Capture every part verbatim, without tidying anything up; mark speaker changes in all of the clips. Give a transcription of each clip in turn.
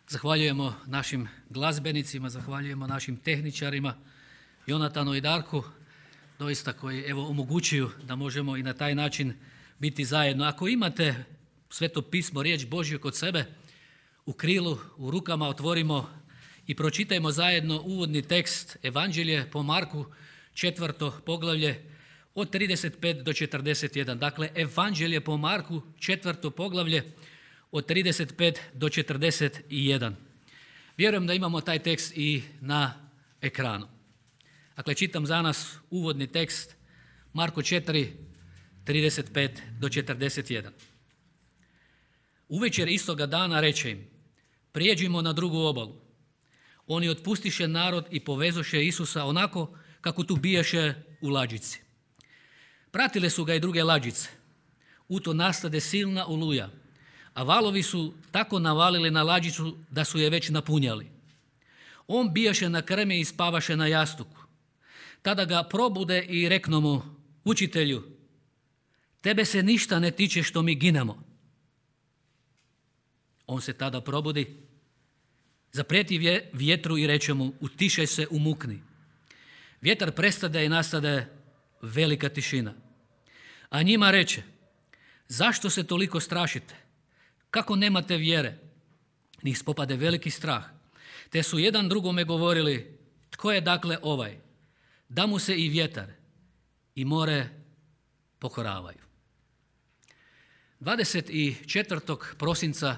Speaker 1: Zahvaljujemo našim glazbenicima, zahvaljujemo našim tehničarima, Jonatanu i Darku, doista koji evo omogućuju da možemo i na taj način biti zajedno. Ako imate Sveto pismo, riječ Božju kod sebe, u krilu, u rukama otvorimo i pročitajmo zajedno uvodni tekst Evanđelje po Marku, četvrto poglavlje, od trideset pet do četrdeset jedan. Dakle, Evanđelje po Marku, četvrto poglavlje, od trideset pet do četrdeset jedan. Vjerujem da imamo taj tekst i na ekranu. Dakle, čitam za nas uvodni tekst Marko četiri, trideset pet do četrdeset jedan. Uvečer istoga dana reče im, prijeđimo na drugu obalu. Oni otpustiše narod i povezoše Isusa onako kako tu bijaše u lađici. Pratile su ga i druge lađice. U to nastade silna oluja, a valovi su tako navalili na lađicu da su je već napunjali. On bijaše na krmi i spavaše na jastuku. Tada ga probude i reknu mu, učitelju, tebe se ništa ne tiče što mi ginemo. On se tada probudi, zaprijeti vjetru i reče mu, utišaj se, umukni. Vjetar prestade i nastade velika tišina. A njima reče, zašto se toliko strašite? Kako nemate vjere? Njih spopade veliki strah. Te su jedan drugome govorili, tko je dakle ovaj? Da mu se i vjetar i more pokoravaju. dvadeset četvrtog prosinca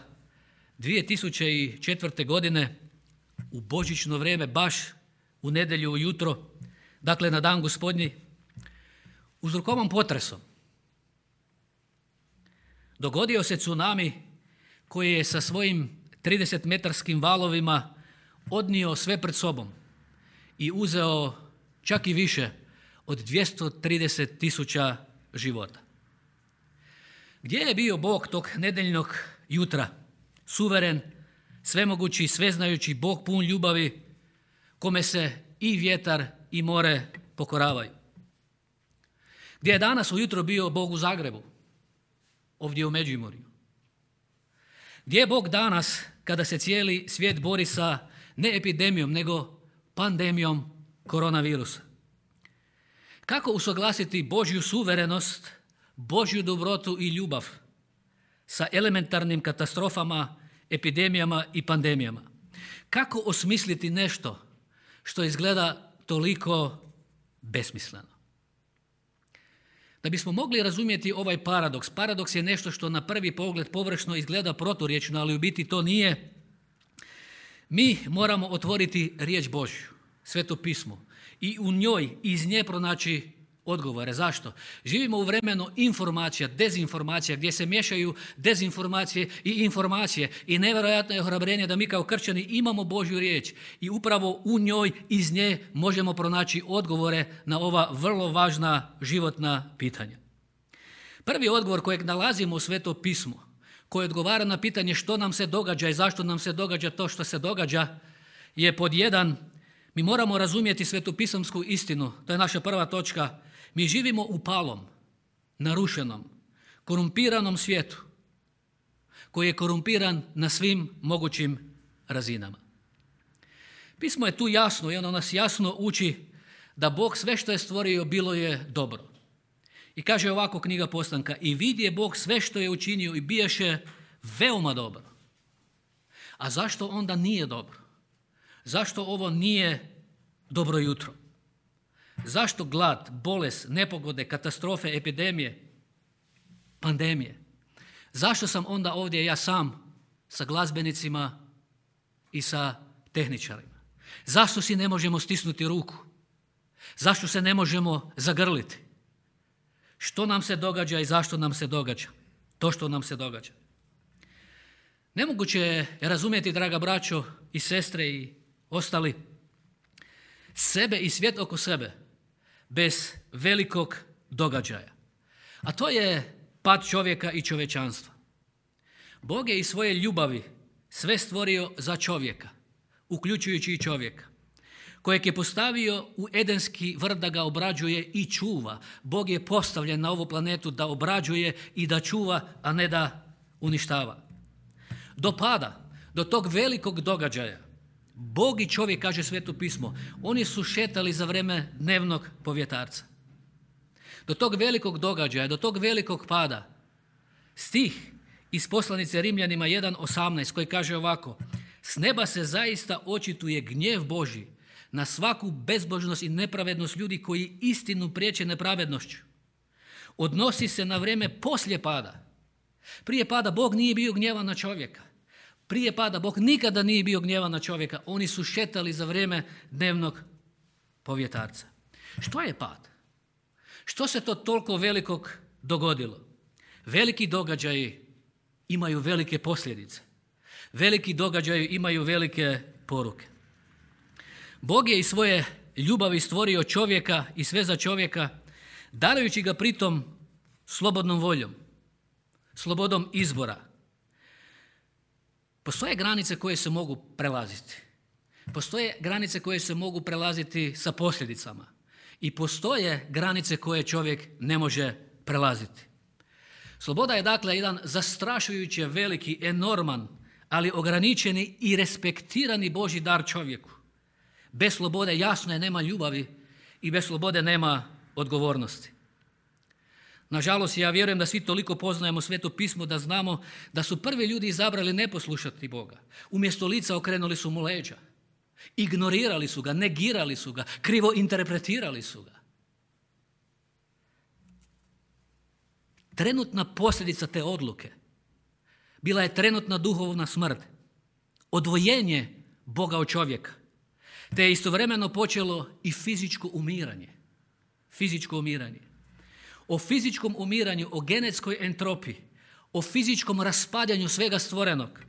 Speaker 1: dvije tisuće četvrte. godine u božićno vrijeme, baš u nedjelju ujutro, dakle na dan Gospodnji, uzrokovan potresom, dogodio se tsunami koji je sa svojim trideset metarskim valovima odnio sve pred sobom i uzeo čak i više od dvjesto trideset tisuća života. Gdje je bio Bog tog nedjeljnog jutra? Suveren, svemogući, sveznajući Bog pun ljubavi, kome se i vjetar i more pokoravaju. Gdje je danas ujutro bio Bog u Zagrebu, ovdje u Međimurju? Gdje je Bog danas kada se cijeli svijet bori sa ne epidemijom, nego pandemijom koronavirusa? Kako usuglasiti Božju suverenost, Božju dobrotu i ljubav sa elementarnim katastrofama, epidemijama i pandemijama? Kako osmisliti nešto što izgleda toliko besmisleno? Da bismo mogli razumjeti ovaj paradoks, paradoks je nešto što na prvi pogled površno izgleda proturječno, ali u biti to nije. Mi moramo otvoriti riječ Božju, Sveto pismo, i u njoj, iz nje pronaći odgovore. Zašto? Živimo u vremenu informacija, dezinformacija, gdje se miješaju dezinformacije i informacije i nevjerojatno je ohrabrenje da mi kao kršćani imamo Božju riječ i upravo u njoj, iz nje možemo pronaći odgovore na ova vrlo važna životna pitanja. Prvi odgovor kojeg nalazimo u Sveto pismu, koji odgovara na pitanje što nam se događa i zašto nam se događa to što se događa, je pod jedan, mi moramo razumjeti svetopisamsku istinu, to je naša prva točka. Mi živimo u palom, narušenom, korumpiranom svijetu koji je korumpiran na svim mogućim razinama. Pismo je tu jasno i ono nas jasno uči da Bog sve što je stvorio bilo je dobro. I kaže ovako knjiga Postanka, i vidje Bog sve što je učinio i bijaše veoma dobro. A zašto onda nije dobro? Zašto ovo nije dobro jutro? Zašto glad, bolest, nepogode, katastrofe, epidemije, pandemije? Zašto sam onda ovdje ja sam sa glazbenicima i sa tehničarima? Zašto si ne možemo stisnuti ruku? Zašto se ne možemo zagrliti? Što nam se događa i zašto nam se događa to što nam se događa? Nemoguće je razumjeti, draga braćo i sestre i ostali, sebe i svijet oko sebe bez velikog događaja. A to je pad čovjeka i čovječanstva. Bog je iz svoje ljubavi sve stvorio za čovjeka, uključujući i čovjeka, kojeg je postavio u Edenski vrt da ga obrađuje i čuva. Bog je postavljen na ovu planetu da obrađuje i da čuva, a ne da uništava. Do pada, do tog velikog događaja, Bog i čovjek, kaže Sveto pismo, oni su šetali za vrijeme dnevnog povjetarca. Do tog velikog događaja, do tog velikog pada, stih iz poslanice Rimljanima jedan osamnaest koji kaže ovako: s neba se zaista očituje gnjev Božji na svaku bezbožnost i nepravednost ljudi koji istinu priječe nepravednošću. Odnosi se na vrijeme poslije pada. Prije pada Bog nije bio gnjevan na čovjeka. Prije pada Bog nikada nije bio gnjevan na čovjeka. Oni su šetali za vrijeme dnevnog povjetarca. Što je pad? Što se to toliko velikog dogodilo? Veliki događaji imaju velike posljedice. Veliki događaji imaju velike poruke. Bog je iz svoje ljubavi stvorio čovjeka i sve za čovjeka, darujući ga pritom slobodnom voljom, slobodom izbora. Postoje granice koje se mogu prelaziti. Postoje granice koje se mogu prelaziti sa posljedicama. I postoje granice koje čovjek ne može prelaziti. Sloboda je dakle jedan zastrašujuće veliki, enorman, ali ograničeni i respektirani Božji dar čovjeku. Bez slobode, jasno je, nema ljubavi i bez slobode nema odgovornosti. Nažalost, ja vjerujem da svi toliko poznajemo Sveto pismo da znamo da su prvi ljudi izabrali ne poslušati Boga. Umjesto lica okrenuli su mu leđa. Ignorirali su ga, negirali su ga, krivo interpretirali su ga. Trenutna posljedica te odluke bila je trenutna duhovna smrt, odvojenje Boga od čovjeka, te je istovremeno počelo i fizičko umiranje. Fizičko umiranje. O fizičkom umiranju, o genetskoj entropiji, o fizičkom raspadanju svega stvorenog,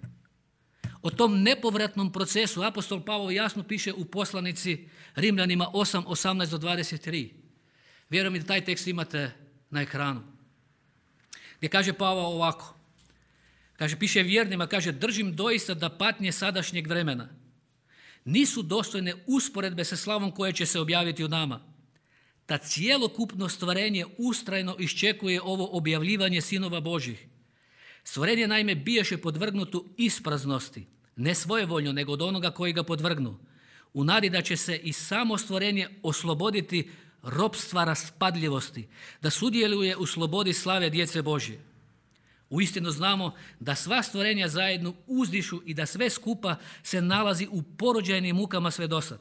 Speaker 1: o tom nepovratnom procesu apostol Pavao jasno piše u poslanici Rimljanima osam, osamnaest do dvadeset tri. Vjerujem da taj tekst imate na ekranu. Gdje kaže Pavao ovako, kaže, piše vjernima, kaže, držim doista da patnje sadašnjeg vremena nisu dostojne usporedbe sa slavom koja će se objaviti u nama. Ta cijelokupno stvorenje ustrajno iščekuje ovo objavljivanje sinova Božjih. Stvorenje naime biješe podvrgnuto ispraznosti, ne svojevoljno, nego od onoga koji ga podvrgnu, u nadi da će se i samo stvorenje osloboditi ropstva raspadljivosti, da sudjeluje u slobodi slave djece Božje. Uistinu znamo da sva stvorenja zajedno uzdišu i da sve skupa se nalazi u porođajnim mukama sve dosad.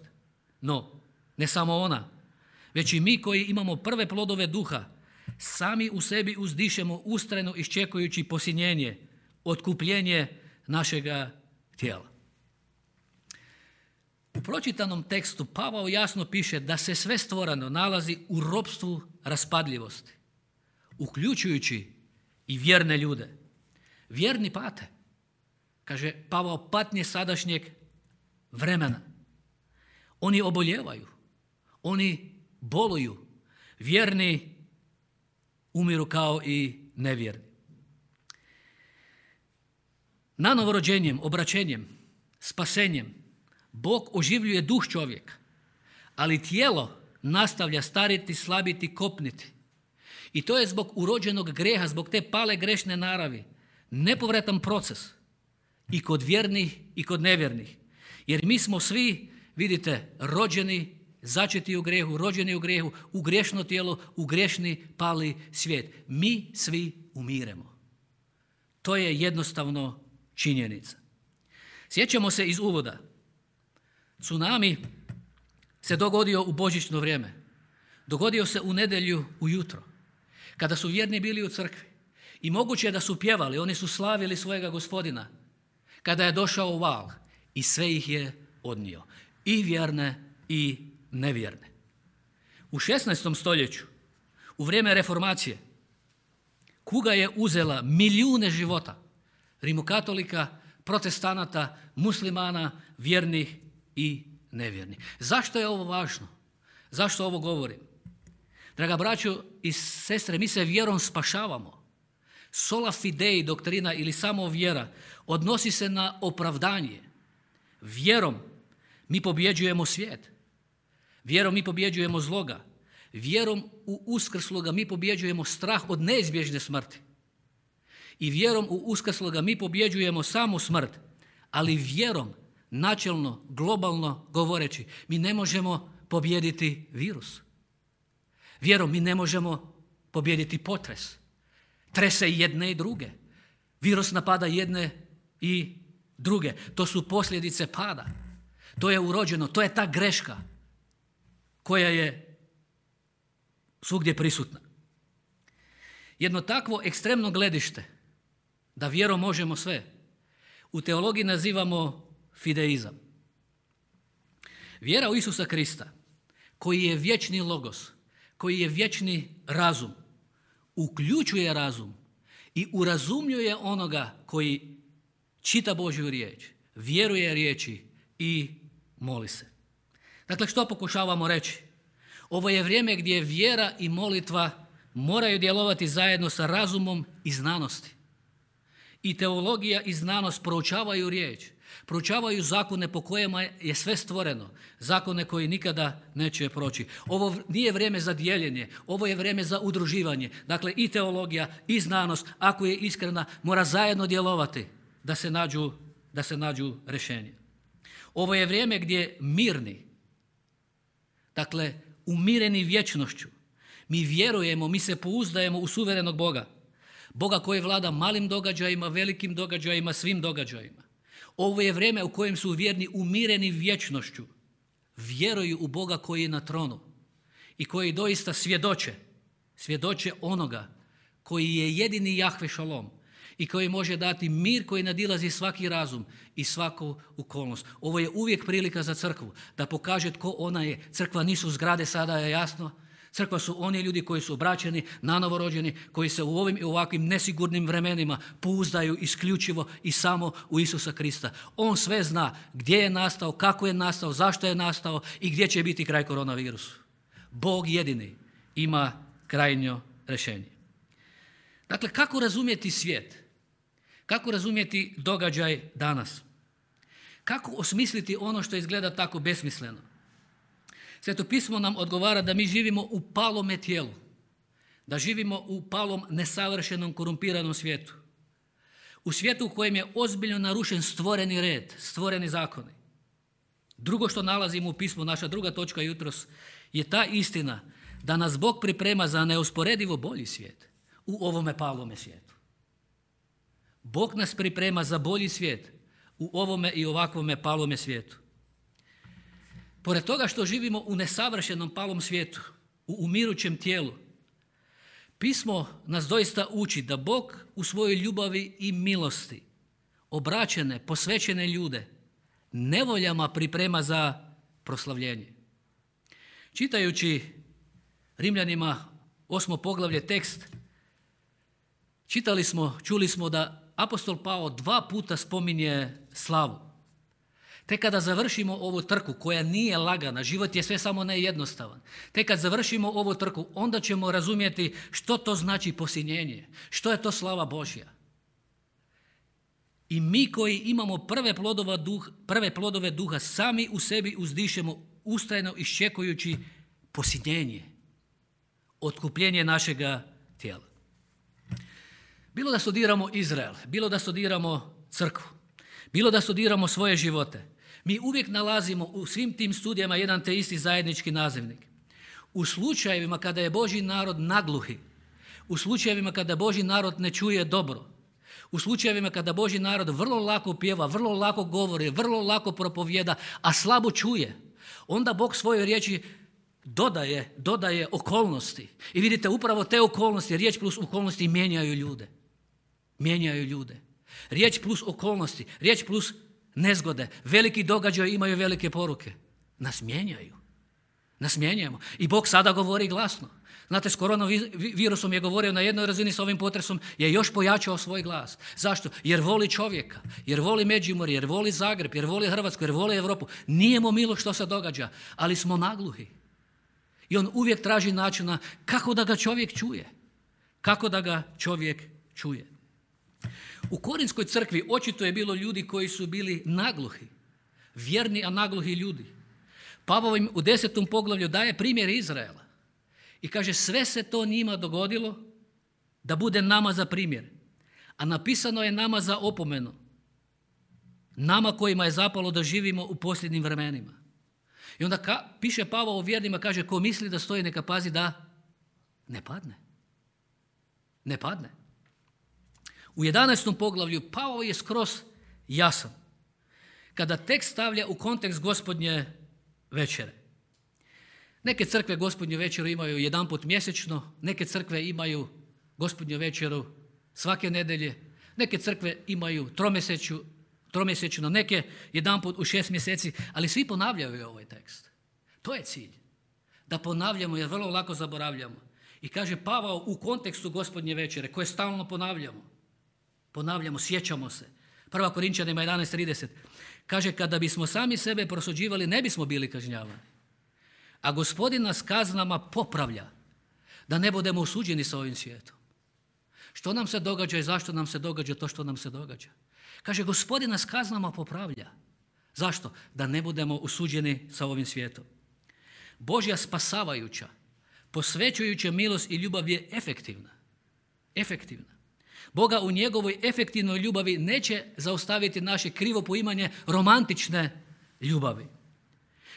Speaker 1: No, ne samo ona, već i mi koji imamo prve plodove duha, sami u sebi uzdišemo ustrajno iščekujući posinjenje, otkupljenje našega tijela. U pročitanom tekstu Pavao jasno piše da se sve stvoreno nalazi u ropstvu raspadljivosti, uključujući i vjerne ljude. Vjerni pate, kaže Pavao, patnje sadašnjeg vremena. Oni oboljevaju, oni boluju, vjerni umiru kao i nevjerni. Nanovorođenjem, obraćenjem, spasenjem, Bog oživljuje duh čovjeka, ali tijelo nastavlja stariti, slabiti, kopniti. I to je zbog urođenog greha, zbog te pale grešne naravi, nepovratan proces i kod vjernih i kod nevjernih. Jer mi smo svi, vidite, rođeni, začeti u grehu, rođeni u grehu, u grešno tijelo, u grešni pali svijet. Mi svi umiremo. To je jednostavno činjenica. Sjećamo se iz uvoda. Tsunami se dogodio u božićno vrijeme. Dogodio se u nedjelju ujutro, kada su vjerni bili u crkvi. I moguće je da su pjevali, oni su slavili svojega Gospodina, kada je došao val i sve ih je odnio. I vjerne i nevjerne. U šesnaestom stoljeću, u vrijeme reformacije, kuga je uzela milijune života rimokatolika, protestanata, muslimana, vjernih i nevjernih. Zašto je ovo važno? Zašto ovo govorim? Draga braćo i sestre, mi se vjerom spašavamo. Sola fidei doktrina ili samo vjera odnosi se na opravdanje. Vjerom mi pobjeđujemo svijet. Vjerom mi pobjeđujemo zloga. Vjerom u uskrsloga mi pobjeđujemo strah od neizbježne smrti. I vjerom u uskrsloga mi pobjeđujemo samu smrt, Ali vjerom, načelno, globalno govoreći, mi ne možemo pobijediti virus. Vjerom mi ne možemo pobijediti potres. Trese i jedne i druge. Virus napada jedne i druge. To su posljedice pada. To je urođeno, to je ta greška koja je svugdje prisutna. Jedno takvo ekstremno gledište da vjerom možemo sve u teologiji nazivamo fideizam. Vjera u Isusa Krista, koji je vječni logos, koji je vječni razum, uključuje razum i urazumljuje onoga koji čita Božju riječ, vjeruje riječi i moli se. Dakle, što pokušavamo reći? Ovo je vrijeme gdje vjera i molitva moraju djelovati zajedno sa razumom i znanosti. I teologija i znanost proučavaju riječ, proučavaju zakone po kojima je sve stvoreno, zakone koji nikada neće proći. Ovo nije vrijeme za dijeljenje, ovo je vrijeme za udruživanje. Dakle, i teologija i znanost, ako je iskrena, mora zajedno djelovati da se nađu, da se nađu rješenje. Ovo je vrijeme gdje mirni, dakle, umireni vječnošću, mi vjerujemo, mi se pouzdajemo u suverenog Boga. Boga koji vlada malim događajima, velikim događajima, svim događajima. Ovo je vrijeme u kojem su vjerni umireni vječnošću. Vjeruju u Boga koji je na tronu i koji doista svjedoče, svjedoče onoga koji je jedini Jahve Šalom i koji može dati mir koji nadilazi svaki razum i svaku okolnost. Ovo je uvijek prilika za crkvu da pokaže tko ona je. Crkva nisu zgrade, sada je jasno. Crkva su oni ljudi koji su obraćeni, nanovorođeni, koji se u ovim i ovakvim nesigurnim vremenima pouzdaju isključivo i samo u Isusa Krista. On sve zna gdje je nastao, kako je nastao, zašto je nastao i gdje će biti kraj koronavirusu. Bog jedini ima krajnjo rješenje. Dakle, kako razumjeti svijet? Kako razumjeti događaj danas? Kako osmisliti ono što izgleda tako besmisleno? Sveto pismo nam odgovara da mi živimo u palome tijelu, da živimo u palom, nesavršenom, korumpiranom svijetu. U svijetu u kojem je ozbiljno narušen stvoreni red, stvoreni zakoni. Drugo što nalazimo u pismu, naša druga točka jutros, je ta istina da nas Bog priprema za neusporedivo bolji svijet u ovome palome svijetu. Bog nas priprema za bolji svijet u ovome i ovakvome palome svijetu. Pored toga što živimo u nesavršenom palom svijetu, u umirućem tijelu, pismo nas doista uči da Bog u svojoj ljubavi i milosti obraćene, posvećene ljude nevoljama priprema za proslavljenje. Čitajući Rimljanima osmo poglavlje tekst, čitali smo, čuli smo da apostol Pavao dva puta spominje slavu. Tek kada završimo ovu trku koja nije lagana, život je sve samo ne jednostavan. Tek kad završimo ovu trku, onda ćemo razumjeti što to znači posinjenje, što je to slava Božja. I mi koji imamo prve, duh, prve plodove duha, sami u sebi uzdišemo ustrajno iščekujući posinjenje, otkupljenje našega tijela. Bilo da studiramo Izrael, bilo da studiramo crkvu, bilo da studiramo svoje živote, mi uvijek nalazimo u svim tim studijama jedan te isti zajednički nazivnik. U slučajevima kada je Božji narod nagluhi, u slučajevima kada Božji narod ne čuje dobro, u slučajevima kada Božji narod vrlo lako pjeva, vrlo lako govori, vrlo lako propovjeda, a slabo čuje, onda Bog svojoj riječi dodaje, dodaje okolnosti. I vidite, upravo te okolnosti, riječ plus okolnosti mijenjaju ljude. Mijenjaju ljude. Riječ plus okolnosti, riječ plus nezgode, veliki događaji imaju velike poruke. Nas mijenjaju. Nas mijenjamo. I Bog sada govori glasno. Znate, s koronavirusom je govorio na jednoj razini, s ovim potresom je još pojačao svoj glas. Zašto? Jer voli čovjeka, jer voli Međimurje, jer voli Zagreb, jer voli Hrvatsku, jer voli Europu. Nije mu milo što se događa, ali smo nagluhi. I on uvijek traži načina kako da ga čovjek čuje. Kako da ga čovjek čuje. U Korinskoj crkvi očito je bilo ljudi koji su bili nagluhi, vjerni, a nagluhi ljudi. Pavao im u desetom poglavlju daje primjer Izraela i kaže sve se to njima dogodilo da bude nama za primjer, a napisano je nama za opomenu. Nama kojima je zapalo da živimo u posljednjim vremenima. I onda ka, piše Pavao o vjernima, kaže, ko misli da stoji, neka pazi da ne padne. Ne padne. U jedanaestom poglavlju Pavao je skroz jasan kada tekst stavlja u kontekst Gospodnje večere. Neke crkve Gospodnju večeru imaju jedanput mjesečno, neke crkve imaju Gospodnju večeru svake nedelje, neke crkve imaju tromjesečno, tromjesečno, neke jedanput u šest mjeseci, ali svi ponavljaju ovaj tekst. To je cilj. Da ponavljamo, jer vrlo lako zaboravljamo. I kaže Pavao u kontekstu Gospodnje večere, koje stalno ponavljamo. Ponavljamo, sjećamo se. Prva Korinčanima jedanaest trideset. Kaže, kada bismo sami sebe prosuđivali, ne bismo bili kažnjavani. A Gospodin nas kaznama popravlja, da ne budemo osuđeni sa ovim svijetom. Što nam se događa i zašto nam se događa to što nam se događa? Kaže, Gospodin nas kaznama popravlja. Zašto? Da ne budemo osuđeni sa ovim svijetom. Božja spasavajuća, posvećujuća milost i ljubav je efektivna. Efektivna. Boga u njegovoj efektivnoj ljubavi neće zaustaviti naše krivo poimanje romantične ljubavi.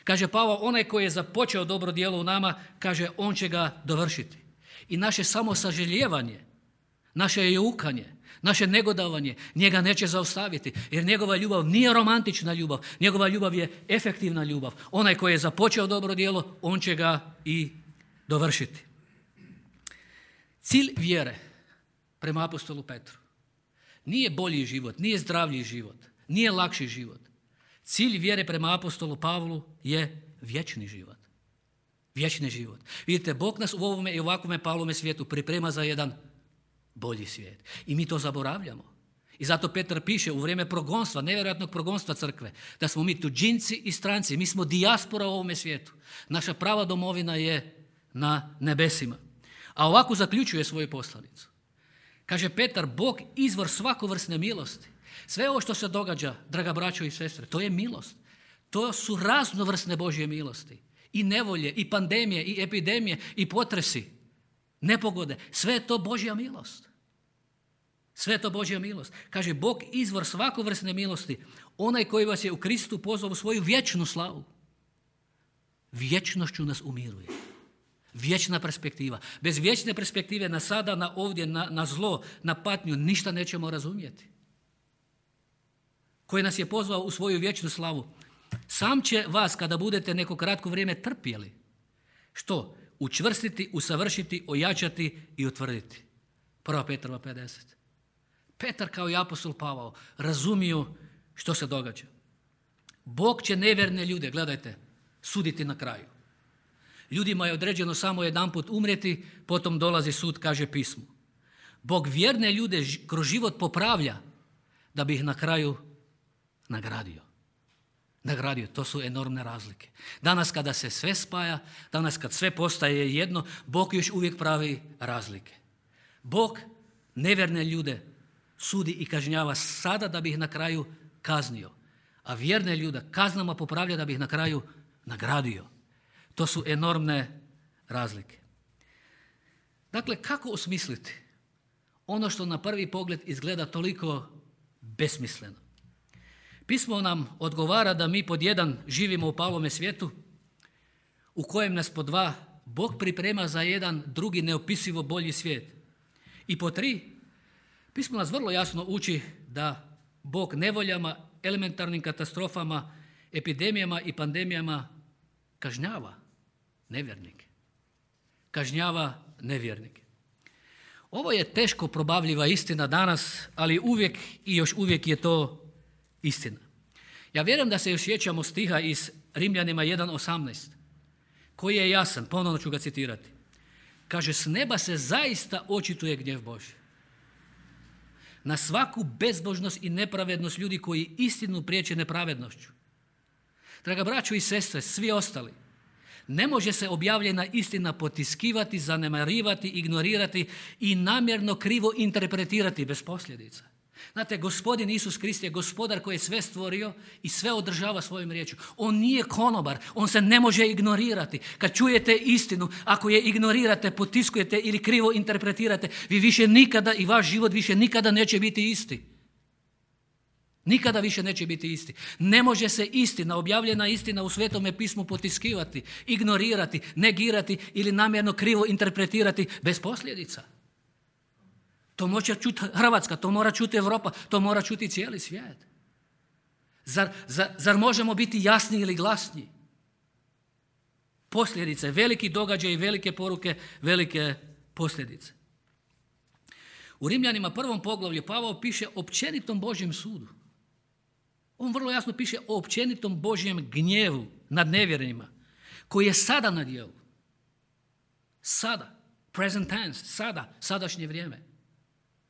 Speaker 1: Kaže Pavao, onaj koji je započeo dobro djelo u nama, kaže, on će ga dovršiti. I naše samosaželjevanje, naše jaukanje, naše negodovanje, njega neće zaustaviti, jer njegova ljubav nije romantična ljubav, njegova ljubav je efektivna ljubav. Onaj koji je započeo dobro djelo, on će ga i dovršiti. Cilj vjere prema apostolu Petru nije bolji život, nije zdravlji život, nije lakši život. Cilj vjere prema apostolu Pavlu je vječni život. Vječni život. Vidite, Bog nas u ovome i ovakvome Pavlome svijetu priprema za jedan bolji svijet. I mi to zaboravljamo. I zato Petar piše u vrijeme progonstva, nevjerojatnog progonstva crkve, da smo mi tuđinci i stranci, mi smo dijaspora u ovome svijetu. Naša prava domovina je na nebesima. A ovako zaključuje svoju poslanicu. Kaže Petar, Bog izvor svakovrsne milosti. Sve ovo što se događa, draga braćo i sestre, to je milost. To su raznovrsne Božje milosti. I nevolje, i pandemije, i epidemije, i potresi, nepogode. Sve je to Božja milost. Sve je to Božja milost. Kaže, Bog izvor svakovrsne milosti, onaj koji vas je u Kristu pozvao u svoju vječnu slavu. Vječnošću nas umiruje. Vječna perspektiva. Bez vječne perspektive na sada, na ovdje, na, na zlo, na patnju, ništa nećemo razumjeti. Koji nas je pozvao u svoju vječnu slavu. Sam će vas, kada budete neko kratko vrijeme trpjeli, što? Učvrstiti, usavršiti, ojačati i utvrditi. Prva Petrova pedeset. Petar kao i apostol Pavao razumiju što se događa. Bog će nevjerne ljude, gledajte, suditi na kraju. Ljudima je određeno samo jedanput umrijeti, potom dolazi sud, kaže pismo. Bog vjerne ljude kroz život popravlja da bi ih na kraju nagradio. Nagradio, to su enormne razlike. Danas kada se sve spaja, danas kad sve postaje jedno, Bog još uvijek pravi razlike. Bog nevjerne ljude sudi i kažnjava sada da bi ih na kraju kaznio, a vjerne ljude kaznama popravlja da bi ih na kraju nagradio. To su enormne razlike. Dakle, kako osmisliti ono što na prvi pogled izgleda toliko besmisleno? Pismo nam odgovara da mi pod jedan živimo u Pavlome svijetu, u kojem nas pod dva Bog priprema za jedan drugi neopisivo bolji svijet. I po tri, pismo nas vrlo jasno uči da Bog nevoljama, elementarnim katastrofama, epidemijama i pandemijama kažnjava nevjernike. Kažnjava nevjernike. Ovo je teško probavljiva istina danas, ali uvijek i još uvijek je to istina. Ja vjerujem da se još sjećamo stiha iz Rimljanima jedan osamnaest, koji je jasan, ponovno ću ga citirati. Kaže, s neba se zaista očituje gnjev Božji na svaku bezbožnost i nepravednost ljudi koji istinu priječe nepravednošću. Draga braćo i sestre, svi ostali, ne može se objavljena istina potiskivati, zanemarivati, ignorirati i namjerno krivo interpretirati bez posljedica. Znate, Gospodin Isus Krist je gospodar koji je sve stvorio i sve održava svojim riječju. On nije konobar, on se ne može ignorirati. Kad čujete istinu, ako je ignorirate, potiskujete ili krivo interpretirate, vi više nikada i vaš život više nikada neće biti isti. Nikada više neće biti isti. Ne može se istina, objavljena istina u Svetome pismu potiskivati, ignorirati, negirati ili namjerno krivo interpretirati bez posljedica. To može čuti Hrvatska, to mora čuti Europa, to mora čuti cijeli svijet. Zar, zar, zar možemo biti jasni ili glasni? Posljedice, veliki događaj, velike poruke, velike posljedice. U Rimljanima prvom poglavlju Pavao piše o općenitom Božjem sudu. On vrlo jasno piše o općenitom Božjem gnjevu nad nevjernima, koji je sada na djelu. Sada, present tense, sada, sadašnje vrijeme.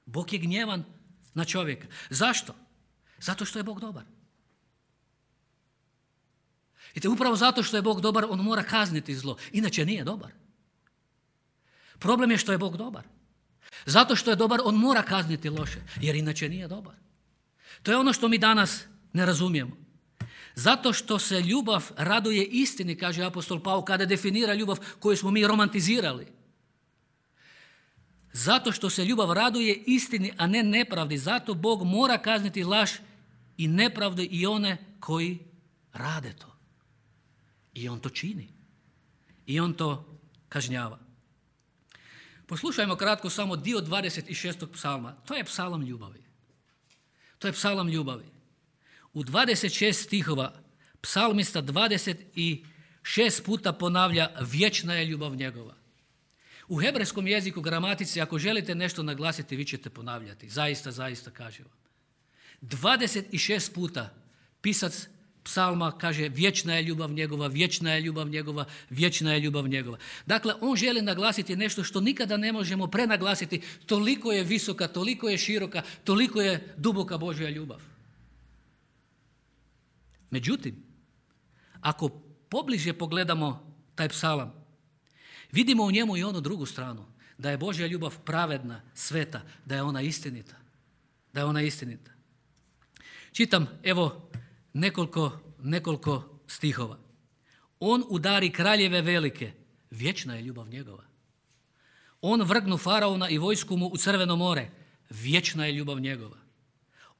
Speaker 1: Bog je gnjevan na čovjeka. Zašto? Zato što je Bog dobar. I te upravo zato što je Bog dobar, on mora kazniti zlo. Inače nije dobar. Problem je što je Bog dobar. Zato što je dobar, on mora kazniti loše, jer inače nije dobar. To je ono što mi danas ne razumijemo. Zato što se ljubav raduje istini, kaže apostol Pavao, kada definira ljubav koju smo mi romantizirali. Zato što se ljubav raduje istini, a ne nepravdi. Zato Bog mora kazniti laž i nepravdu i one koji rade to. I on to čini. I on to kažnjava. Poslušajmo kratko samo dio dvadeset šestog psalma. To je psalam ljubavi. To je psalam ljubavi. U dvadeset šest stihova psalmista dvadeset šest puta ponavlja vječna je ljubav njegova. U hebrejskom jeziku, gramatici, ako želite nešto naglasiti, vi ćete ponavljati. Zaista, zaista kažem vam. dvadeset šest puta pisac psalma kaže vječna je ljubav njegova, vječna je ljubav njegova, vječna je ljubav njegova. Dakle, on želi naglasiti nešto što nikada ne možemo prenaglasiti. Toliko je visoka, toliko je široka, toliko je duboka Božja ljubav. Međutim, ako pobliže pogledamo taj psalam, vidimo u njemu i onu drugu stranu, da je Božja ljubav pravedna, sveta, da je ona istinita. Da je ona istinita. Čitam, evo, nekoliko, nekoliko stihova. On udari kraljeve velike, vječna je ljubav njegova. On vrgnu faraona i vojsku mu u Crveno more, vječna je ljubav njegova.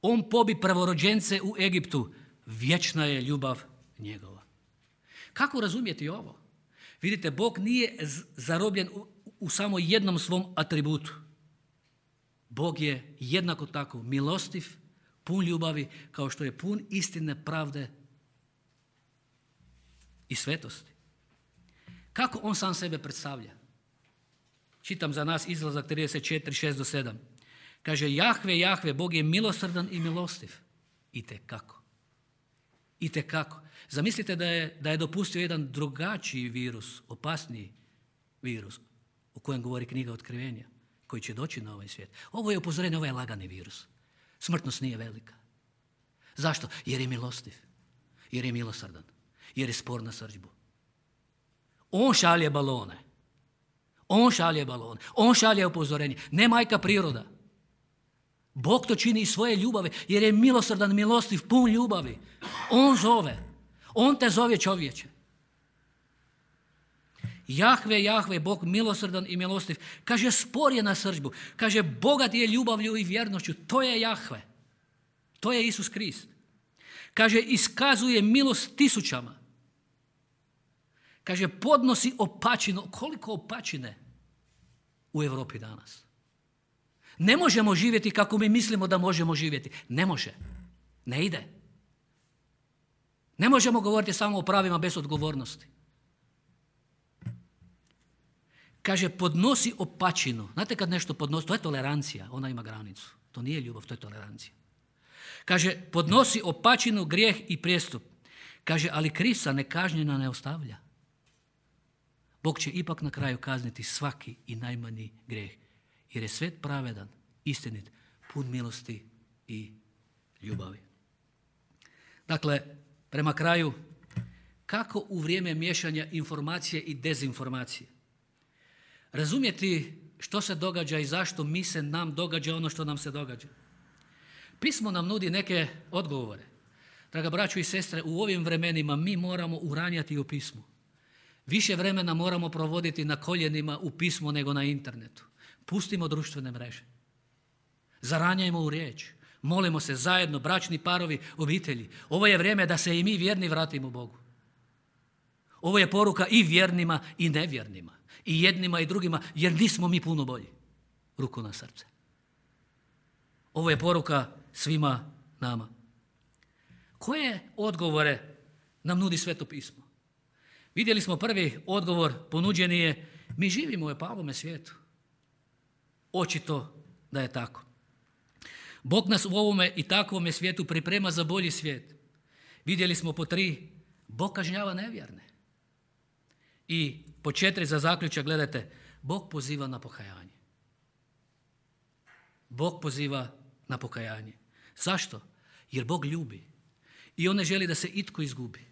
Speaker 1: On pobi prvorođence u Egiptu, vječna je ljubav njegova. Kako razumjeti ovo? Vidite, Bog nije zarobljen u, u samo jednom svom atributu. Bog je jednako tako milostiv, pun ljubavi, kao što je pun istine, pravde i svetosti. Kako on sam sebe predstavlja? Čitam za nas Izlazak trideset četiri, šest do sedam. Kaže, Jahve, Jahve, Bog je milosrdan i milostiv. I tekako. I tekako. Zamislite da je, da je dopustio jedan drugačiji virus, opasniji virus, o kojem govori knjiga Otkrivenja, koji će doći na ovaj svijet. Ovo je upozorenje, ovo je lagani virus. Smrtnost nije velika. Zašto? Jer je milostiv. Jer je milosrdan. Jer je spor na srdžbu. On šalje balone. On šalje balone. On šalje upozorenje. Ne majka priroda. Bog to čini iz svoje ljubave, jer je milosrdan, milostiv, pun ljubavi. On zove. On te zove, čovječe. Jahve, Jahve, Bog milosrdan i milostiv. Kaže, spor je na srdžbu. Kaže, bogat je ljubavlju i vjernošću. To je Jahve. To je Isus Krist. Kaže, iskazuje milost tisućama. Kaže, podnosi opačinu. Koliko opačine u Europi danas? Ne možemo živjeti kako mi mislimo da možemo živjeti. Ne može. Ne ide. Ne možemo govoriti samo o pravima bez odgovornosti. Kaže, podnosi opačinu. Znate kad nešto podnosi, to je tolerancija, ona ima granicu. To nije ljubav, to je tolerancija. Kaže, podnosi opačinu, grijeh i prijestup. Kaže, ali krivca nekažnjena ne ostavlja. Bog će ipak na kraju kazniti svaki i najmanji grijeh. Jer je svet pravedan, istinit, pun milosti i ljubavi. Dakle, prema kraju, kako u vrijeme miješanja informacije i dezinformacije razumjeti što se događa i zašto mi se nam događa ono što nam se događa? Pismo nam nudi neke odgovore. Draga braćo i sestre, u ovim vremenima mi moramo uranjati u pismu. Više vremena moramo provoditi na koljenima u pismu nego na internetu. Pustimo društvene mreže. Zaranjajmo u riječ. Molimo se zajedno, bračni parovi, obitelji. Ovo je vrijeme da se i mi vjerni vratimo Bogu. Ovo je poruka i vjernima i nevjernima. I jednima i drugima, jer nismo mi puno bolji. Ruku na srce. Ovo je poruka svima nama. Koje odgovore nam nudi Sveto pismo? Vidjeli smo prvi odgovor, ponuđeni je, mi živimo u palome svijetu. Očito da je tako. Bog nas u ovome i takvome svijetu priprema za bolji svijet. Vidjeli smo po tri, Bog kažnjava nevjerne. I po četiri za zaključak, gledajte, Bog poziva na pokajanje. Bog poziva na pokajanje. Zašto? Jer Bog ljubi. I on ne želi da se itko izgubi.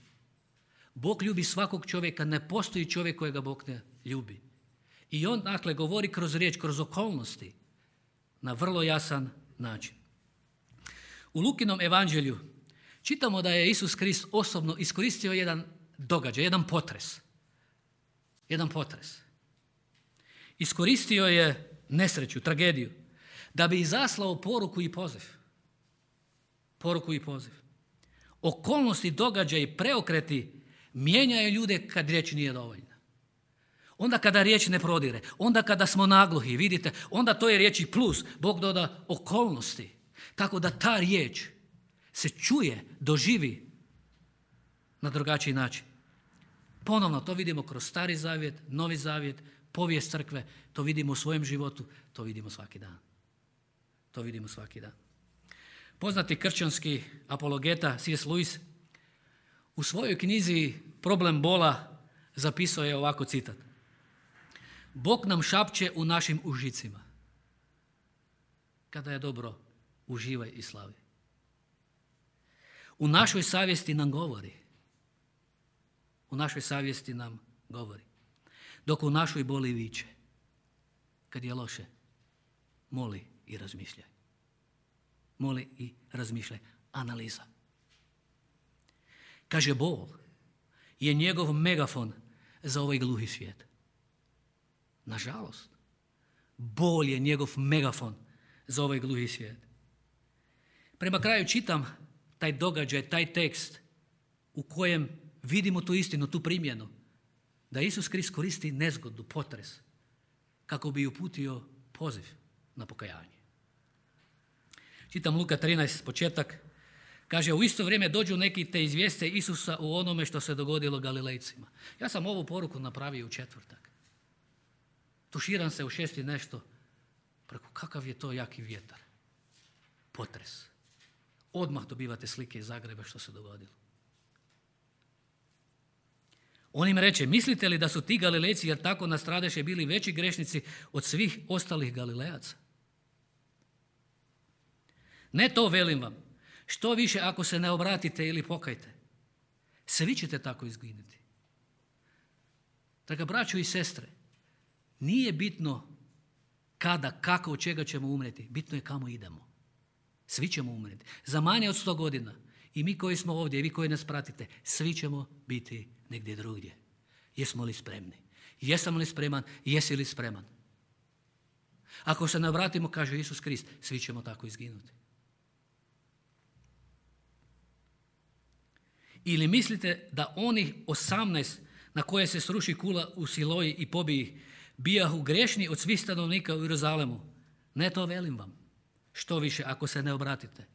Speaker 1: Bog ljubi svakog čovjeka, ne postoji čovjek kojega Bog ne ljubi. I on, dakle, govori kroz riječ, kroz okolnosti, na vrlo jasan način. U Lukinom evanđelju čitamo da je Isus Krist osobno iskoristio jedan događaj, jedan potres. Jedan potres. Iskoristio je nesreću, tragediju, da bi izaslao poruku i poziv. Poruku i poziv. Okolnosti, događaji, preokreti mijenjaju ljude kad riječ nije dovoljna. Onda kada riječ ne prodire, onda kada smo nagluhi, vidite, onda to je riječi plus. Bog doda okolnosti. Tako da ta riječ se čuje, doživi na drugačiji način. Ponovno to vidimo kroz Stari zavjet, Novi zavjet, povijest crkve, to vidimo u svojem životu, to vidimo svaki dan. To vidimo svaki dan. Poznati kršćanski apologeta C S Lewis u svojoj knjizi Problem bola zapisao je ovako citat. Bog nam šapće u našim užicima. Kada je dobro, uživaj i slavi. U našoj savjesti nam govori. U našoj savjesti nam govori. Dok u našoj boli viče. Kad je loše, moli i razmišljaj. Moli i razmišljaj. Analiza. Kaže, bol je njegov megafon za ovaj gluhi svijet. Nažalost, bol je njegov megafon za ovaj gluhi svijet. Prema kraju čitam taj događaj, taj tekst u kojem vidimo tu istinu, tu primjenu, da Isus Krist koristi nezgodu, potres, kako bi uputio poziv na pokajanje. Čitam Luka trinaest, početak. Kaže, u isto vrijeme dođu neki te izvijeste Isusa u onome što se dogodilo Galilejcima. Ja sam ovu poruku napravio u četvrtak. Tuširam se u šesti nešto. Preko kakav je to jaki vjetar. Potres. Odmah dobivate slike iz Zagreba što se dogodilo. On im reče, mislite li da su ti Galilejci, jer tako nastradeše, bili veći grešnici od svih ostalih Galilejaca? Ne to velim vam. Što više ako se ne obratite ili pokajte, svi ćete tako izginuti. Draga braćo i sestre, nije bitno kada, kako, od čega ćemo umreti. Bitno je kamo idemo. Svi ćemo umreti. Za manje od sto godina. I mi koji smo ovdje, i vi koji nas pratite, svi ćemo biti negdje drugdje. Jesmo li spremni? Jesam li spreman? Jesi li spreman? Ako se ne obratimo, kaže Isus Krist, svi ćemo tako izginuti. Ili mislite da onih osamnaest na koje se sruši kula u Siloji i pobiji, bijahu grešni od svih stanovnika u Jeruzalemu? Ne to velim vam. Što više, ako se ne obratite,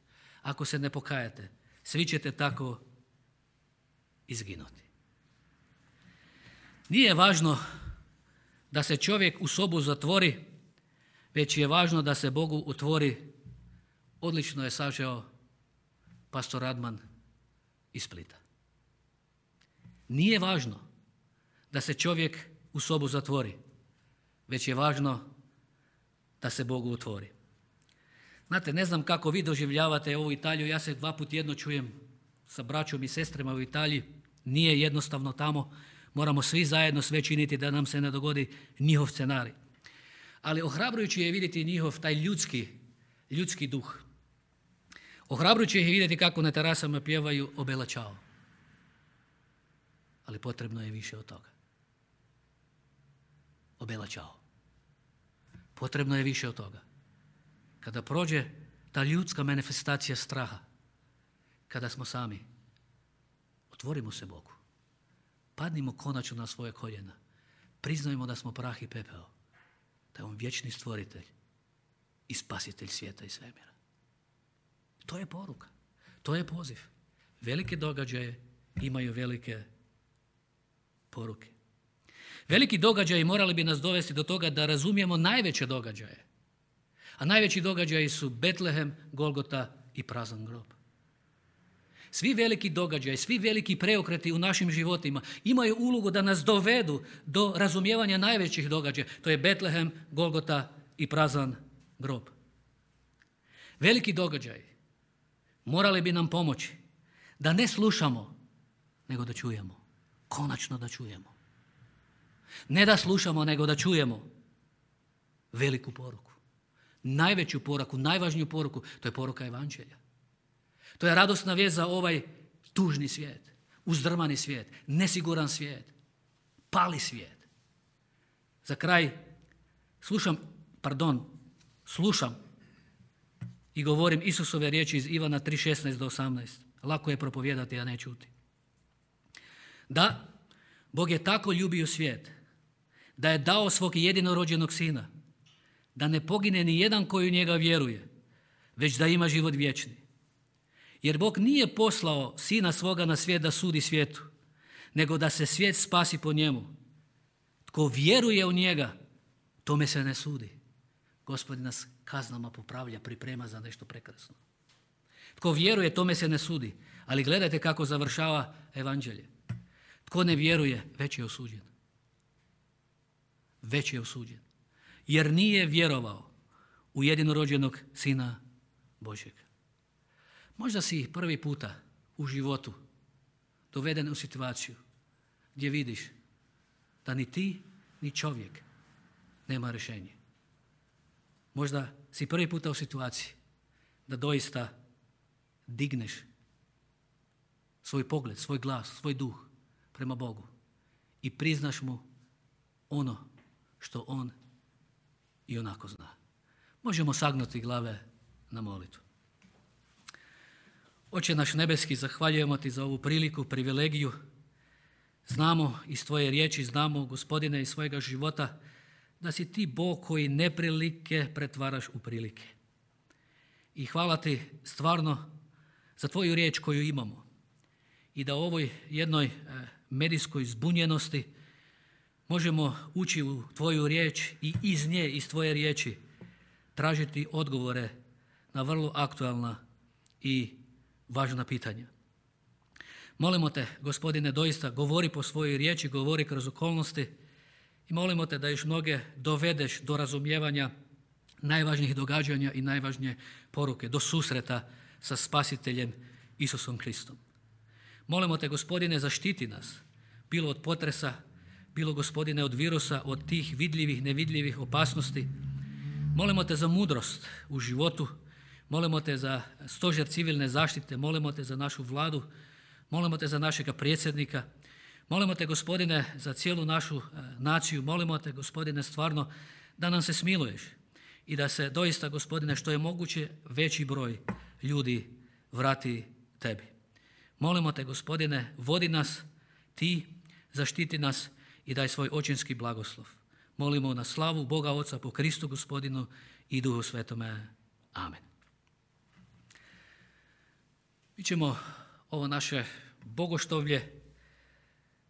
Speaker 1: ako se ne pokajate, svi ćete tako izginuti. Nije važno da se čovjek u sobu zatvori, već je važno da se Bogu otvori. Odlično je sažeo pastor Radman iz Splita. Nije važno da se čovjek u sobu zatvori, već je važno da se Bogu otvori. Znate, ne znam kako vi doživljavate ovu Italiju, ja se dva put jedno čujem sa braćom i sestrama u Italiji, nije jednostavno tamo, moramo svi zajedno sve činiti da nam se ne dogodi njihov scenarij. Ali ohrabrujući je vidjeti njihov taj ljudski, ljudski duh. Ohrabrujući je vidjeti kako na terasama pjevaju Obela Ćao. Ali potrebno je više od toga. Obela Ćao. Potrebno je više od toga. Kada prođe ta ljudska manifestacija straha, kada smo sami. Otvorimo se Bogu. Padnimo konačno na svoje koljena. Priznajmo da smo prah i pepeo. Da je on vječni stvoritelj i spasitelj svijeta i svemira. To je poruka. To je poziv. Velike događaje imaju velike poruke. Veliki događaji morali bi nas dovesti do toga da razumijemo najveće događaje. A najveći događaji su Betlehem, Golgota i prazan grob. Svi veliki događaji, svi veliki preokreti u našim životima imaju ulogu da nas dovedu do razumijevanja najvećih događaja. To je Betlehem, Golgota i prazan grob. Veliki događaji morali bi nam pomoći da ne slušamo, nego da čujemo. Konačno da čujemo. Ne da slušamo, nego da čujemo veliku poruku. Najveću poruku, najvažniju poruku, to je poruka Evanđelja. To je radosna vijest za ovaj tužni svijet, uzdrmani svijet, nesiguran svijet, pali svijet. Za kraj slušam, pardon, slušam i govorim Isusove riječi iz Ivana tri šesnaest do osamnaest. Lako je propovijedati, a ne čuti. Da, Bog je tako ljubio svijet da je dao svog jedinorođenog sina, da ne pogine ni jedan koji u njega vjeruje, već da ima život vječni. Jer Bog nije poslao sina svoga na svijet da sudi svijetu, nego da se svijet spasi po njemu. Tko vjeruje u njega, tome se ne sudi. Gospodin nas kaznama popravlja, priprema za nešto prekrasno. Tko vjeruje, tome se ne sudi. Ali gledajte kako završava Evanđelje. Tko ne vjeruje, već je osuđen. Već je osuđen. Jer nije vjerovao u jedinorođenog Sina Božjeg. Možda si prvi puta u životu doveden u situaciju gdje vidiš da ni ti, ni čovjek nema rješenje. Možda si prvi puta u situaciji da doista digneš svoj pogled, svoj glas, svoj duh prema Bogu i priznaš mu ono što on i onako zna. Možemo sagnuti glave na molitvu. Oče naš nebeski, zahvaljujemo ti za ovu priliku, privilegiju. Znamo iz tvoje riječi, znamo, Gospodine, iz svojega života, da si ti Bog koji neprilike pretvaraš u prilike. I hvala ti stvarno za tvoju riječ koju imamo. I da u ovoj jednoj medijskoj zbunjenosti možemo ući u tvoju riječ i iz nje, iz tvoje riječi, tražiti odgovore na vrlo aktualna i važna pitanja. Molimo te, Gospodine, doista govori po svojoj riječi, govori kroz okolnosti i molimo te da još mnoge dovedeš do razumijevanja najvažnijih događanja i najvažnije poruke, do susreta sa Spasiteljem Isusom Kristom. Molimo te, Gospodine, zaštiti nas, bilo od potresa, bilo, Gospodine, od virusa, od tih vidljivih, nevidljivih opasnosti. Molimo te za mudrost u životu, molimo te za stožer civilne zaštite, molimo te za našu vladu, molimo te za našega predsjednika, molimo te, Gospodine, za cijelu našu naciju, molimo te, Gospodine, stvarno da nam se smiluješ i da se doista, Gospodine, što je moguće veći broj ljudi vrati tebi. Molimo te, Gospodine, vodi nas, ti zaštiti nas i daj svoj očinski blagoslov. Molimo na slavu Boga Oca po Kristu Gospodinu i Duhu Svetome. Amen. Mi ćemo ovo naše bogoštovlje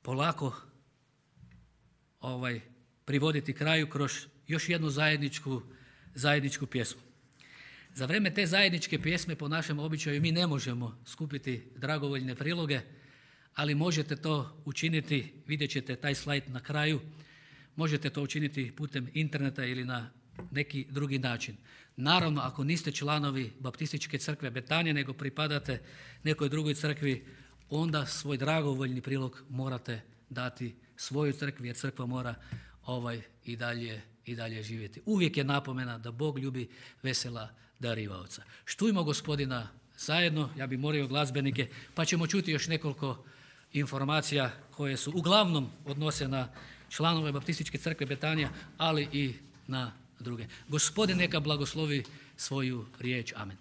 Speaker 1: polako ovaj, privoditi kraju kroz još jednu zajedničku, zajedničku pjesmu. Za vrijeme te zajedničke pjesme po našem običaju mi ne možemo skupiti dragovoljne priloge, ali možete to učiniti, vidjet ćete taj slajd na kraju, možete to učiniti putem interneta ili na neki drugi način. Naravno, ako niste članovi Baptističke crkve Betanija, nego pripadate nekoj drugoj crkvi, onda svoj dragovoljni prilog morate dati svojoj crkvi, jer crkva mora ovaj i dalje, i dalje živjeti. Uvijek je napomena da Bog ljubi vesela darivaoca. Štujmo Gospodina zajedno, ja bih molio glazbenike, pa ćemo čuti još nekoliko informacija koje su uglavnom odnose na članove Baptističke crkve Betanija, ali i na druge. Gospodin neka blagoslovi svoju riječ. Amen.